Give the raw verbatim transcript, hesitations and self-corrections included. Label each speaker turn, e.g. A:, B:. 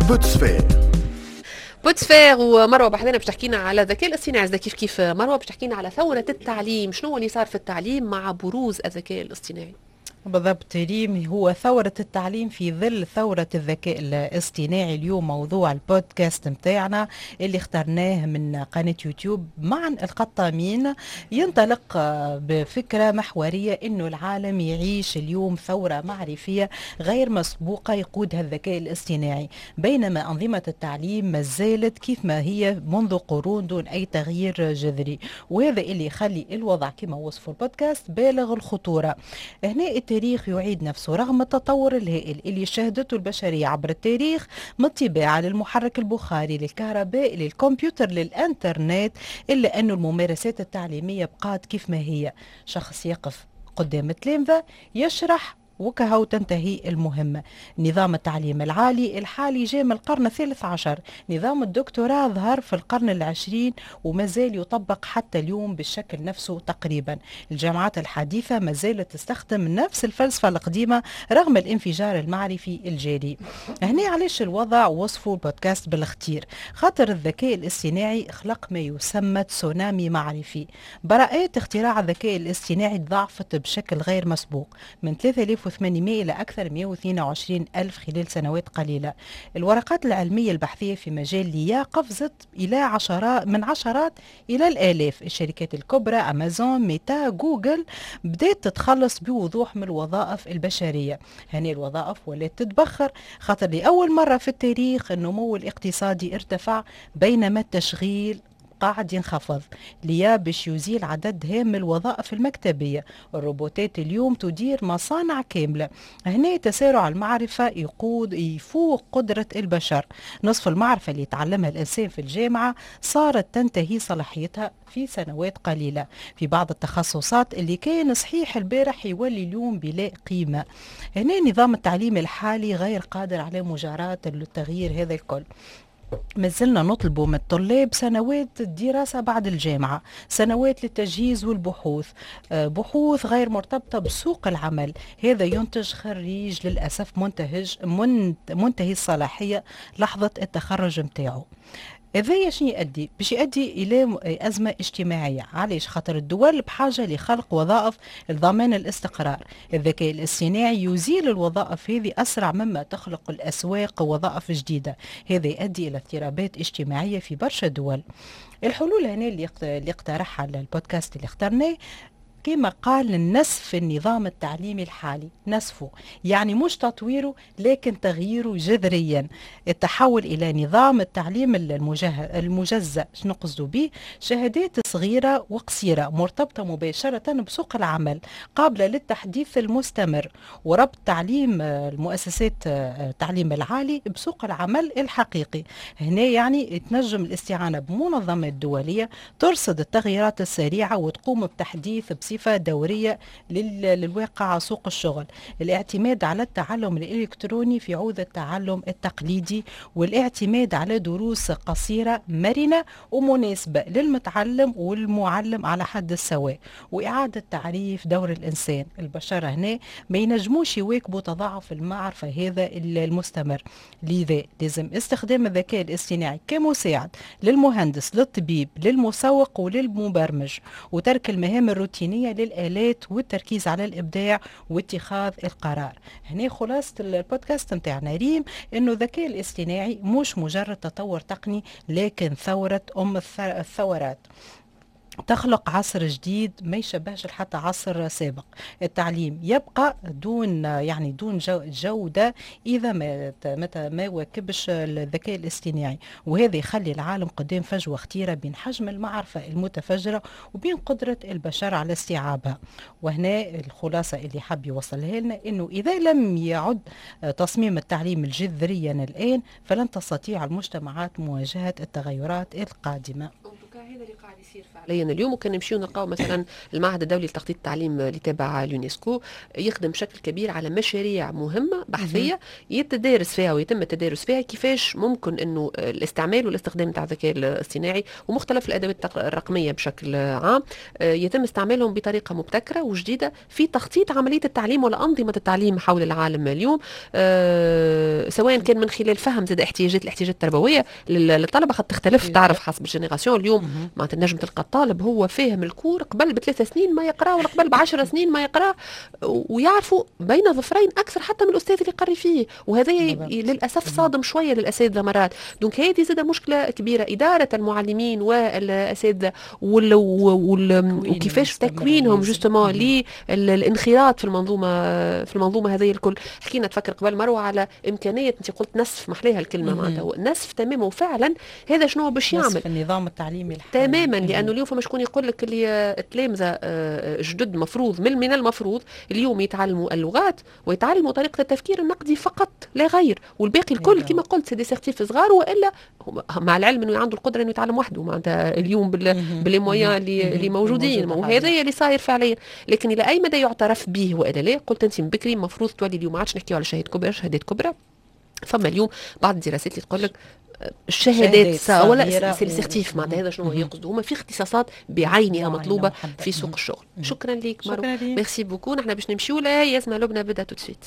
A: بوتسفير.
B: بوتسفير ومروه بحذنا باش تحكينا على الذكاء الاصطناعي. كيف كيف مروه، باش تحكينا على ثورة التعليم، شنو اللي صار في التعليم مع بروز الذكاء الاصطناعي؟
C: بالضبط ريم، هو ثورة التعليم في ظل ثورة الذكاء الاصطناعي. اليوم موضوع البودكاست متاعنا اللي اخترناه من قناة يوتيوب معا القطامين ينطلق بفكرة محورية، انه العالم يعيش اليوم ثورة معرفية غير مسبوقة يقودها الذكاء الاصطناعي، بينما أنظمة التعليم ما زالت كيف ما هي منذ قرون دون أي تغيير جذري، وهذا اللي يخلي الوضع كما وصفه البودكاست بالغ الخطورة. هنا التاريخ يعيد نفسه، رغم التطور الهائل اللي شهدته البشرية عبر التاريخ، من الطباعة للمحرك البخاري للكهرباء للكمبيوتر للإنترنت، إلا أن الممارسات التعليمية بقات كيف ما هي. شخص يقف قدام التلامذة يشرح وكهو تنتهي المهمة. نظام التعليم العالي الحالي جاء من القرن الثالث عشر، نظام الدكتوراه ظهر في القرن العشرين وما زال يطبق حتى اليوم بالشكل نفسه تقريبا. الجامعات الحديثة ما زالت تستخدم نفس الفلسفة القديمة رغم الانفجار المعرفي الجاري. هنا علاش الوضع وصفوا البودكاست بالخطير؟ خاطر الذكاء الاصطناعي خلق ما يسمى تسونامي معرفي. براءات اختراع الذكاء الاصطناعي تضاعفت بشكل غير مسبوق من ثلاثة آلاف وثمانمائة إلى أكثر من مئة واثنين وعشرين ألف خلال سنوات قليلة. الورقات العلمية البحثية في مجال l'IA قفزت إلى عشرات، من عشرات إلى الآلاف. الشركات الكبرى أمازون، ميتا، جوجل بدأت تتخلص بوضوح من الوظائف البشرية. هني الوظائف ولات تتبخر، خاطر لأول مرة في التاريخ النمو الاقتصادي ارتفع بينما التشغيل قاعد ينخفض. l'IA باش يزيل عدد هام من الوظائف المكتبية. الروبوتات اليوم تدير مصانع كاملة. هنا تسارع المعرفة يقود يفوق قدرة البشر. نصف المعرفة اللي يتعلمها الإنسان في الجامعة صارت تنتهي صلاحيتها في سنوات قليلة. في بعض التخصصات اللي كان صحيح البارح يولي اليوم بلا قيمة. هنا نظام التعليم الحالي غير قادر على مجاراة التغيير هذا الكل. ما زلنا نطلب من الطلاب سنوات الدراسة بعد الجامعة، سنوات للتجهيز والبحوث، آه، بحوث غير مرتبطة بسوق العمل. هذا ينتج خريج للأسف منتهج منتهي الصلاحية لحظة التخرج متاعه. هذايا شنو يؤدي؟ باش يؤدي الى ازمة اجتماعيه. علاش؟ خاطر الدول بحاجة لخلق وظائف لضمان الاستقرار. الذكاء الاصطناعي يزيل الوظائف هذه اسرع مما تخلق الاسواق وظائف جديده. هذا يؤدي الى اضطرابات اجتماعية في برشا دول. الحلول هنا اللي اقترحها البودكاست اللي اخترناه، كما قال، نسف النظام التعليمي الحالي، نسفه يعني مش تطويره لكن تغييره جذريا، التحول إلى نظام التعليم المجزأ. شنو نقصد به؟ شهادات صغيرة وقصيرة مرتبطة مباشرة بسوق العمل، قابلة للتحديث المستمر، وربط تعليم المؤسسات التعليم العالي بسوق العمل الحقيقي. هنا يعني تنجم الاستعانة بمنظمات دولية ترصد التغييرات السريعة وتقوم بتحديث بصفة بصفة دورية للواقع سوق الشغل. الاعتماد على التعلم الإلكتروني في عوض التعلم التقليدي، والاعتماد على دروس قصيرة مرنة ومناسبة للمتعلم والمعلم على حد السواء، وإعادة تعريف دور الإنسان. البشر هنا ما ينجموش يواكبوا تضاعف المعرفة هذا المستمر، لذا لازم استخدام الذكاء الاصطناعي كمساعد للمهندس، للطبيب، للمسوق وللمبرمج، وترك المهام الروتينية للآلات والتركيز على الإبداع واتخاذ القرار. هنا خلاصة البودكاست متاعنا ريم، إنه الذكاء الاصطناعي مش مجرد تطور تقني لكن ثورة أم الثورات، تخلق عصر جديد ما يشبهش حتى عصر سابق. التعليم يبقى دون يعني دون جودة إذا ما متى ما واكبش الذكاء الاصطناعي، وهذا يخلي العالم قدام فجوة خطيرة بين حجم المعرفة المتفجرة وبين قدرة البشر على استيعابها. وهنا الخلاصة اللي حب يوصلها لنا، إنه إذا لم يعد تصميم التعليم الجذريا الآن فلن تستطيع المجتمعات مواجهة التغيرات القادمة.
B: هذا اللي قاعد يصير فعليا اليوم. وكان نمشيو نلقاو مثلا المعهد الدولي لتخطيط التعليم اللي تابع اليونسكو يخدم بشكل كبير على مشاريع مهمة بحثيه يتدارس فيها ويتم التدارس فيها كيفاش ممكن انه الاستعمال والاستخدام تاع الذكاء الاصطناعي ومختلف الادوات الرقمية بشكل عام آه، يتم استعمالهم بطريقة مبتكره وجديدة في تخطيط عملية التعليم ولا انظمة التعليم حول العالم اليوم، آه، سواء كان من خلال فهم زاد احتياجات الاحتياجات التربوية للطلبه، خاطر تختلف تعرف حسب ال génération. اليوم معناتها نجم تلقى الطالب هو فاهم ال cours قبل بثلاث سنين ما يقرا ولا قبل بعشر سنين ما يقرا، ويعرفوا بين ظفرين اكثر حتى من الاستاذ اللي يقري فيه، وهذا للاسف صادم شوية للاساتذه مرات. donc هذه زاد مشكلة كبيره، ادارة المعلمين والاساتذه وال وال وكيفاش تكوينهم justement للانخراط في المنظومه في المنظومه هذه الكل. حكينا تفكر قبل مروه على امكانيه، انت قلت نسف، محليها الكلمه، معناتها نسف تماما، وفعلا هذا شنو باش يعمل
C: نسف النظام التعليمي
B: الحالي تماما، لانه اليوم فما شكون يقول لك اللي التلامذه آه، جدد مفروض من من المفروض اليوم يتعلموا اللغات ويتعلموا طريقه التفكير النقدي فقط لا غير، والباقي الكل كما قلت c'est des certifs صغار، والا مع العلم انه عنده القدرة انه يتعلم وحده معناتها اليوم ب les moyens اللي اللي موجودين، وهذا اللي صاير فعليا. لكن الى اي مدى يعترف به والا لا؟ قلت انت من بكري المفروض تولي اليوم ما عادش نحكيو على شهادة كبرى، شهادات كبرى. فما اليوم بعض الدراسات اللي تقول لك الشهادات ولا c'est les certifs، معناتها هذا شنو يقصدوا هما في اختصاصات بعينها مطلوبه في سوق الشغل. شكرا لك مروه، merci beaucoup. نحن باش نمشيو لها ياسمع لبنى بدا tout de suite.